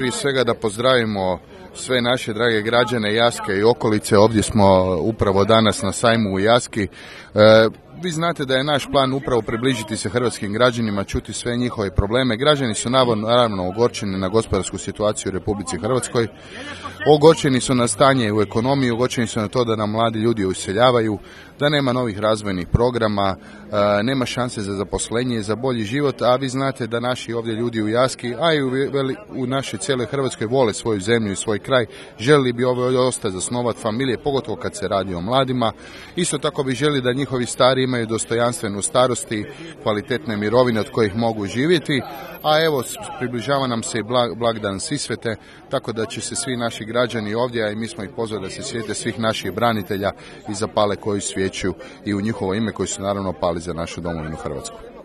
prije svega da pozdravimo sve naše drage građane Jaske i okolice. Ovdje smo upravo danas na sajmu u Jaski. Vi znate da je naš plan upravo približiti se hrvatskim građanima, čuti sve njihove probleme. Građani su naravno ogorčeni na gospodarsku situaciju u Republici Hrvatskoj. Ogorčeni su na stanje u ekonomiji, ogorčeni su na to da nam mladi ljudi useljavaju, da nema novih razvojnih programa, nema šanse za zaposlenje, za bolji život, a vi znate da naši ovdje ljudi u Jaski, a i u našoj cijeloj Hrvatskoj vole svoju zemlju i svoj kraj, želi bi ovdje ostati zasnovati familije, pogotovo kad se radi o mladima. Isto tako bi želi da njihovi stari imaju dostojanstvenu starost i kvalitetne mirovine od kojih mogu živjeti, a evo približava nam se i blagdan Sisvete, tako da će se svi naši građani ovdje, a i mi smo ih pozvali da se sjete svih naših branitelja i zapale koju svijeću i u njihovo ime koji su naravno pali za našu domovinu Hrvatsku.